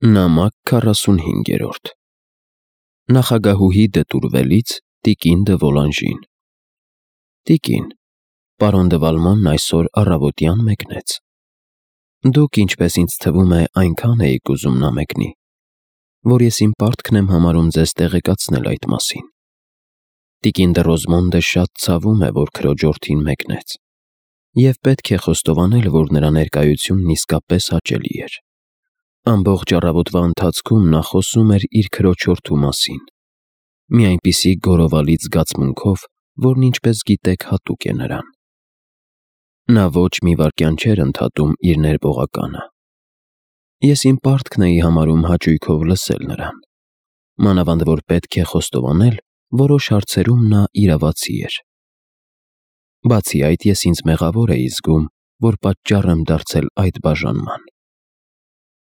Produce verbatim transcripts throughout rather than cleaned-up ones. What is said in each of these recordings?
Նամակ քառասունհինգերորդ Նախագահուհի դտուրվելից տիկին դը Վոլանժին Տիկին, պարոն դը Վալմանն այսօր առավոտյան մեկնեց։ Դուք, ինչպես ինձ թվում է, այնքան էիք ուզում նա մեկնի, որ ես իմ պարտքն եմ համարում ձեզ տեղեկացնել այդ մասին։ Տիկին դը Ռոզմոնդը շատ ցավում է, որ քրոջորդին մեկնեց, և պետք է խոստովանել, որ նրա ներկայությունն իսկապես հաճելի էր։ Ամբողջ առավոտվա ընթացքում նա խոսում էր իր քրոջորդու մասին, մի այնպիսի գոռովալի զգացմունքով, որն, ինչպես գիտեք, հատուկ է նրան։ Նա ոչ մի վայրկյան չէր ընդհատում իր ներբողականը։ Ես իմ պարտքն էի համարում հաճույքով լսել նրան, մանավանդ որ պետք է խոստովանել, որոշ հարցերում նա իրավացի էր։ Բացի այդ, ես ինձ մեղավոր էի զգում, որ պատճառ եմ դարձել այդ բաժանման։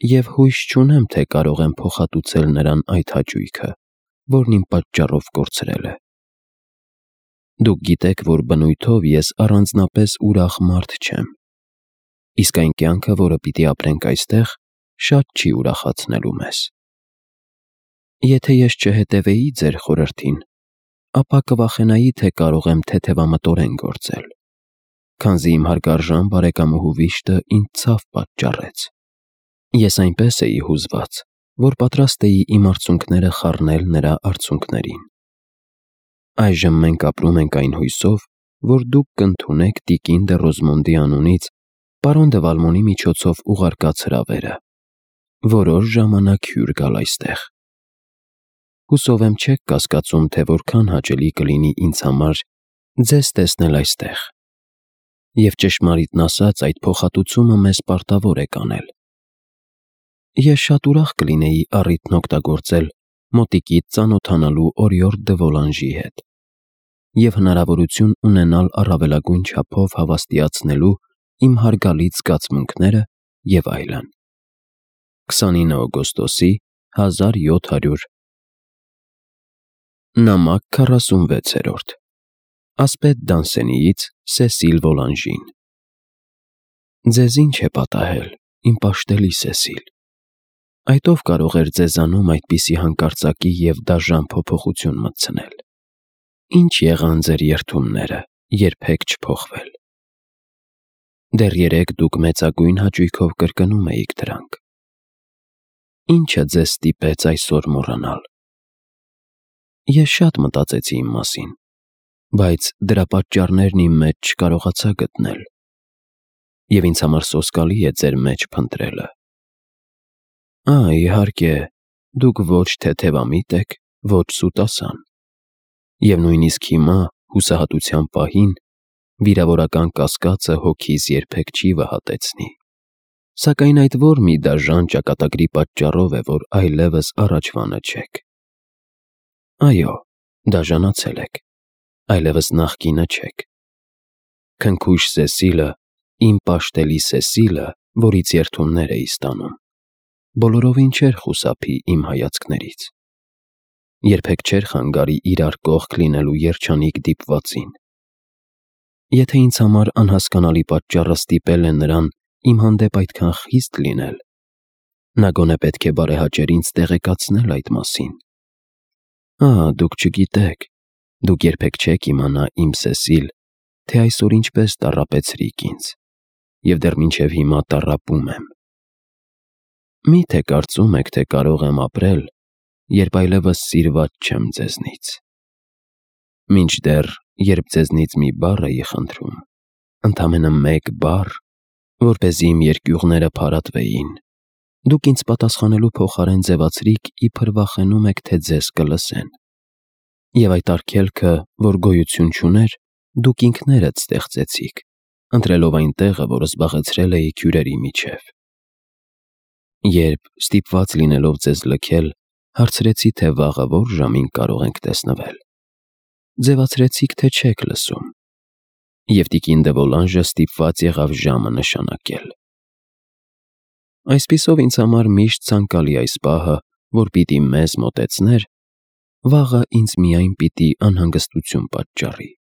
Եվ հույս չունեմ, թե կարող եմ փոխհատուցել նրան այդ հաճույքը, որն իմ պատճառով կորցրել է։ Դուք գիտեք, որ բնույթով ես առանձնապես ուրախ մարդ չեմ, իսկ այն կյանքը, որը պիտի ապրենք այստեղ, շատ չի ուրախացնելու մեզ։ Եթե ես չհետևեի ձեր խորհրդին, ապա կվախենայի, թե կարող եմ թեթևամտորեն գործել, քանզի իմ հարգարժան բարեկամուհու վիշտը ինձ ցավ պատճառեց։ Ես այնպես էի հուզված, որ պատրաստ էի իմ արցունքները խառնել նրա արցունքներին։ Այժմ մենք ապրում ենք այն հույսով, որ դուք կընդունեք տիկին դը Ռոզմոնդի անունից պարոն դը Վալմոնի միջոցով ուղարկած հրավերը, որոշ ժամանակ հյուր գալ այստեղ։ Հուսով եմ չեք կասկածում, թե որքան հաճելի կլինի ինձ համար ձեզ տեսնել այստեղ։ Եվ ճշմարիտն ասած, այդ փոխհատուցումը մեզ պարտավոր է կանել։ Ես շատ ուրախ կլինեի առիթն օգտագործել մոտիկից ծանոթանալու օրիորդ դը Վոլանժի հետ և հնարավորություն ունենալ առավելագույն չափով հավաստիացնելու իմ հարգալից զգացմունքները և այլն։ քսանինը օգոստոսի հազար յոթ հարյուր Նամակ քառասունվեցերորդ Ասպետ Դանսենիից Սեսիլ Վոլանժին Ձեզ ինչ է պատահել, իմ պաշտելի Սեսիլ։ Այդ ով կարող էր ձեզանում այդպիսի հանկարծակի և դաժան փոփոխություն մտցնել։ Ինչ եղան ձեր երդումները, երբեք չփոխվել։ Դեռ երեկ դուք մեծագույն հաճույքով կրկնում էիք դրանք։ Ինչը ձեզ ստիպեց այսօր մոռանալ։ Ես շատ մտածեցի իմ մասին, բայց դրա պատճառներն իմ մեջ չկարողացա գտնել, և ինձ համար սոսկալի է ձեր մեջ փնտրելը։ Ա, իհարկե, դուք ոչ թեթևամիտ եք, ոչ սուտասան, և նույնիսկ հիմա, հուսահատության պահին, վիրավորական կասկածը հոգիս երբեք չի վհատեցնի, սակայն այդ որ մի դաժան ճակատագրի պատճառով է, որ այլևս առաջվանը չեք։ Այո, դաժանացել եք, այլևս նախկինը չեք։ Քնքուշ Սեսիլը, իմ պաշտելի Սեսիլը, որից երդումներ էի ստանում, բոլորովին չէր խուսափի իմ հայացքներից, երբեք չէր խանգարի իրար կողք լինելու երջանիկ դիպվածին։ Եթե ինձ համար անհասկանալի պատճառը ստիպել է նրան իմ հանդեպ այդքան խիստ լինել, նա գոնե պետք է բարեհաճեր ինձ տեղեկացնել այդ մասին։ Ա, դուք չգիտեք, դուք երբեք չեք իմանա, իմ Սեսիլ, թե այսօր ինչպես տառապեցրիք ինձ, և դեռ մինչև հիմա տառապում եմ։ Մի՞թե կարծում եք, թե կարող եմ ապրել, երբ այլևս սիրված չեմ ձեզնից։ Մինչդեռ, երբ ձեզնից մի բառ էի խնդրում, ընդամենը մեկ բառ, որպեսզի իմ երկյուղները փարատվեին, դուք ինձ պատասխանելու փոխարեն ձևացրիք, իբր վախենում եք, թե ձեզ կլսեն։ Եվ այդ արգելքը, որ գոյություն չուներ, դուք ինքներդ ստեղծեցիք, ընտրելով այն տեղը, որը զբաղեցրել էիք հյուրերի միջև։ Երբ, ստիպված լինելով ձեզ լքել, հարցրեցի, թե վաղը որ ժամին կարող ենք տեսնվել, ձևացրեցիք, թե չեք լսում, և տիկին դը Վոլանժը ստիպված եղավ ժամը նշանակել։ Այսպիսով ինձ համար միշտ ցանկալի այս պահը, որ պիտի մեզ մոտեցներ, վաղը ինձ միայն պիտի անհանգստություն պատճառի։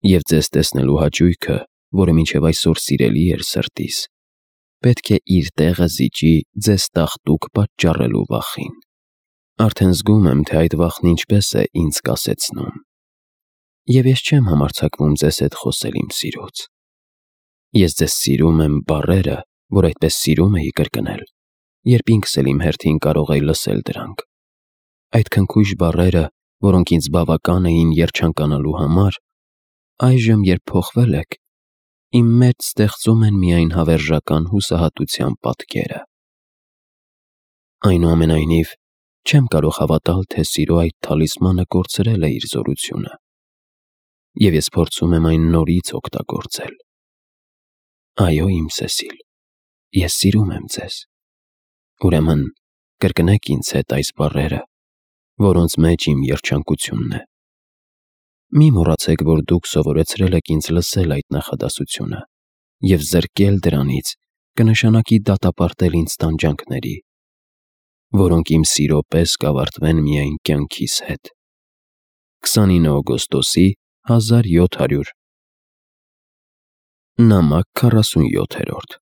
Եվ ձեզ տեսնելու հաճույքը, որը մինչև այսօր սիրելի էր սրտիս, պետք է իր տեղը զիջի ձեզ տաղտուկ պատճառելու վախին։ Արդեն զգում եմ, թե այդ վախն ինչպես է ինձ կասեցնում։ Եվ ես չեմ համարձակվում ձեզ հետ խոսել իմ սիրուց։ Ես ձեզ սիրում եմ բառերը, որ այդպես սիրում էի կրկնել, երբ ինքս էլ իմ հերթին կարող էի լսել դրանք։ Այդ քնքուշ բառերը, որոնք ինձ բավական էին երջանկանալու համար, այժմ, երբ փոխվել եք, իմ մեջ ստեղծում են միայն հավերժական հուսահատության պատկերը։ Այնուամենայնիվ, չեմ կարող հավատալ, թե սիրո այդ թալիսմանը կորցրել է իր զորությունը, և ես փորձում եմ այն նորից օգտագործել։ Այո, իմ Սեսիլ, ես սիրում եմ ձեզ։ Ուրեմն, կրկնեք ինձ հետ այս բառերը, որոնց մեջ իմ երջանկությունն է։ Մի մոռացեք, որ դուք սովորեցրել եք ինձ լսել այդ նախադասությունը, և զրկել դրանից կնշանակի դատապարտել ինձ տանջանքների, որոնք իմ սիրո պես կավարտվեն միայն կյանքիս հետ։ քսանինը օգոստոսի հազար յոթ հարյուր Նամակ քառասունյոթերորդ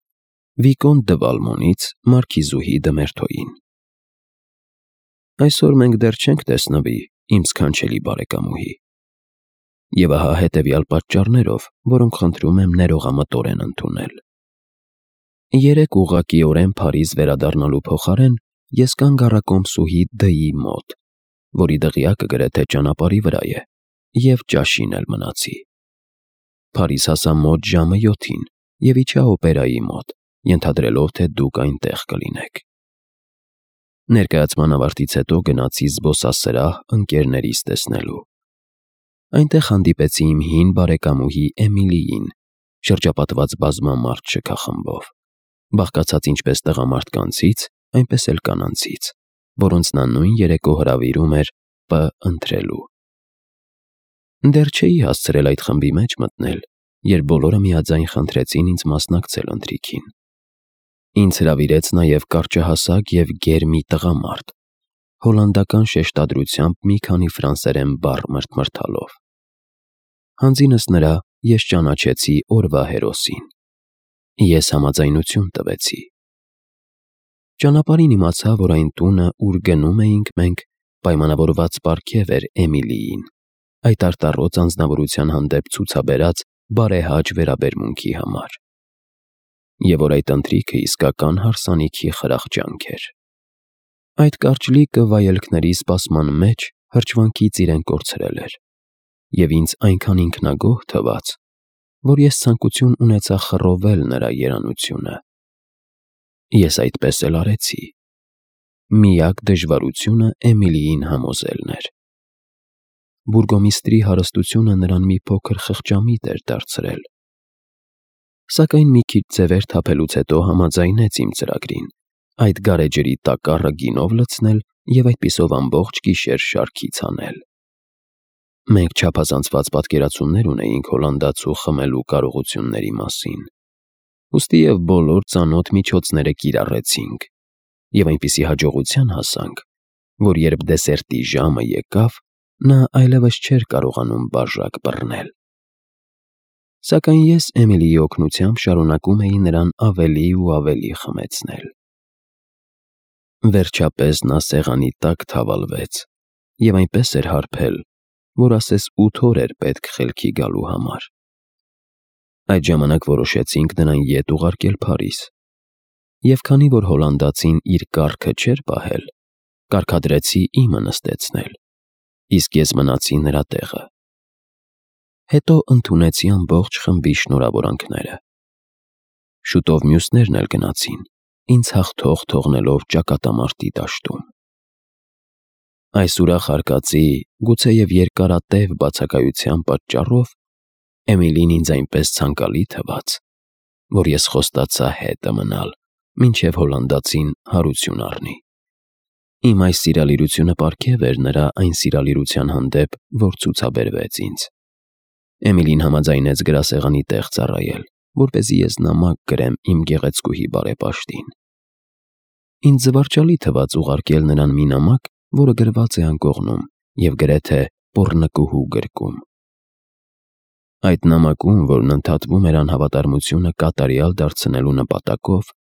Վիկոն դը Վալմոնից մարքիզուհի Դմերթոյին։ Այսօր մենք դեռ չենք տեսնվի, իմ սքանչելի բարեկամուհի, և ահա հետևյալ պատճառներով, որոնք խնդրում եմ ներողամտորեն ընդունել։ Երեկ ուղղակիորեն Փարիզ վերադառնալու փոխարեն ես կանգ առա կոմսուհի Դ-ի մոտ, որի դղյակը գրեթե ճանապարհի վրա է, և ճաշին էլ մնացի։ Փարիզ հասա մոտ ժամը յոթին և իջա օպերայի մոտ, ենթադրելով, թե դուք այնտեղ կլինեք։ Ներկայացման ավարտից հետո գնացի զբոսասրահ ընկերներիս տեսնելու։ Այնտեղ հանդիպեցի իմ հին բարեկամուհի Էմիլիին, շրջապատված բազմամարդ շքախմբով, բաղկացած ինչպես տղամարդկանցից, այնպես էլ կանանցից, որոնց նա նույն երեկո հրավիրում էր Պ ընտրելու։ Դեռ չէի հասցրել այդ խմբի մեջ մտնել, երբ բոլորը միաձայն խնդրեցին ինձ մասնակցել ընթրիքին։ Ինձ հրավիրեց նաև կարճահասակ և գեր մի տղամարդ, հոլանդական շեշտադրությամբ մի քանի ֆրանսերեն բառ մրթմրթալով։ Հանձինս նրա ես ճանաչեցի օրվա հերոսին։ Ես համաձայնություն տվեցի։ Ճանապարհին իմացա, որ այն տունը, ուր գնում էինք մենք, պայմանավորված պարգև էր Էմիլիին, այդ արտառոց անձնավորության հանդեպ ցուցաբերած բարեհաճ վերաբերմունքի համար, և որ այդ ընթրիքը իսկական հարսանիքի խրախճանք էր։ Այդ կարճլիկը վայելքների սպասման մեջ հրճվանքից իրեն կորցրել էր, և ինձ այնքան ինքնագոհ թվաց, որ ես ցանկություն ունեցա խռովել նրա երանությունը։ Ես այդպես էլ արեցի։ Միակ դժվարությունը Էմիլիին համոզելն էր։ Բուրգոմիստրի հարստությունը նրան մի փոքր խղճամիտ էր դարձրել։ Սակայն մի քիչ ձևեր թափելուց հետո համաձայնեց իմ ծրագրին, այդ գարեջրի տակառը գինով լցնել և այդպիսով ամբողջ գիշեր շարքի ցանել։ Մենք չափազանցված պատկերացումներ ունեինք հոլանդացու խմելու կարողությունների մասին, ուստի և բոլոր ծանոթ միջոցները կիրառեցինք, և այնպիսի հաջողության հասանք, որ երբ դեսերտի ժամը եկավ, նա այլևս չէր կարողանում բաժակ բռնել։ Սակայն ես Էմիլիի օգնությամբ շարունակում էի նրան ավելի ու ավելի խմեցնել։ Վերջապես նա սեղանի տակ թավալվեց և այնպես էր հարբել, որ ասես ութ օր էր պետք խելքի գալու համար։ Այդ ժամանակ որոշեցինք նրան ետ ուղարկել Փարիզ, և քանի որ հոլանդացին իր կառքը չէր պահել, կարգադրեցի իմը նստեցնել, իսկ ես մնացի նրա տեղը։ Հետո ընդունեցի ամբողջ խմբի շնորհավորանքները։ Շուտով մյուսներն էլ գնացին, ինձ հաղթող թողնելով ճակատամարտի դաշտում։ Այս ուրախ արկածի, գուցեև երկարատև բացակայության պատճառով Էմիլին ինձ այնպես ցանկալի թվաց, որ ես խոստացա հետը մնալ, մինչև հոլանդացին հարություն առնի։ Իմ այս սիրալիրությունը պարգև էր նրա այն սիրալիրության հանդեպ, որ ցուցաբերվեց ինձ։ Էմիլին համաձայնեց գրասեղանի տեղ ծառայել, որպեսզի ես նամակ գրեմ իմ գեղեցկուհի բարեպաշտին։ Ինձ զվարճալի թվաց ուղարկել նրան մի նամակ, որը գրված է անկողնում և գրեթե պոռնկուհու գրկում։ Այդ նամակում, որն ընդհատվում էր անհավատարմությունը կատարյալ դարձնելու նպատակով,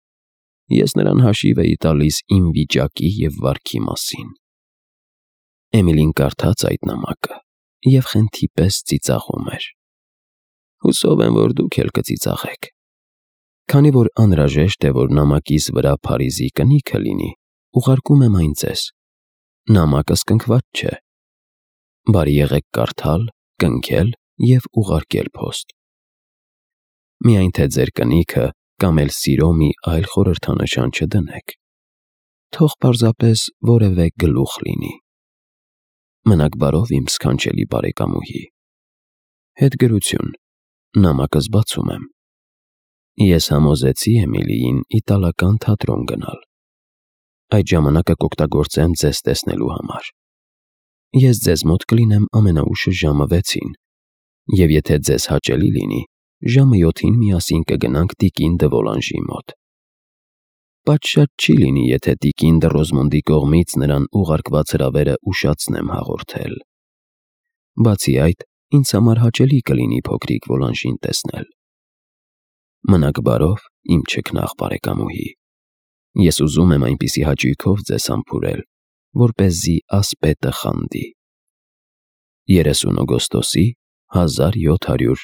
ես նրան հաշիվ էի տալիս իմ վիճակի և վարքի մասին։ Էմիլին կարդաց այդ նամակը և խենթի պես ծիծաղում էր։ Հուսով եմ, որ դուք էլ կծիծաղեք։ Քանի որ անհրաժեշտ է, որ նամակիս վրա Փարիզի կնիքը լինի, ուղարկում եմ այն ձեզ։ Նամակը սկնքված չէ։ Բարի եղեք կարդալ, կնքել և ուղարկել փոստ։ Միայն թե ձեր կնիքը կամ էլ սիրո մի այլ խորհրդանշան չդնեք։ Թող պարզապես որևէ գլուխ լինի։ Մնաք բարով, իմ սքանչելի բարեկամուհի։ Հետգրություն։ Նամակս բացում եմ։ Ես համոզեցի Էմիլիին իտալական թատրոն գնալ։ Այդ ժամանակը կօգտագործեմ ձեզ տեսնելու համար։ Ես ձեզ մոտ կլինեմ ամենաուշը ժամը վեցին, և եթե ձեզ հաճելի լինի, ժամը յոթին միասին կգնանք տիկին դը Վոլանժի մոտ։ Պատշաճ չի լինի, եթե տիկին դը Ռոզմոնդի կողմից նրան ուղարկված հրավերը ուշացնեմ հաղորդել։ Բացի այդ, ինձ համար հաճելի կլինի փոքրիկ Վոլանժին տեսնել։ Մնաք բարով, իմ չքնաղ բարեկամուհի։ Ես ուզում եմ այնպիսի հաճույքով ձեզ համբուրել, որպեսզի ասպետը խանդի։ երեսուն օգոստոսի հազար յոթ հարյուր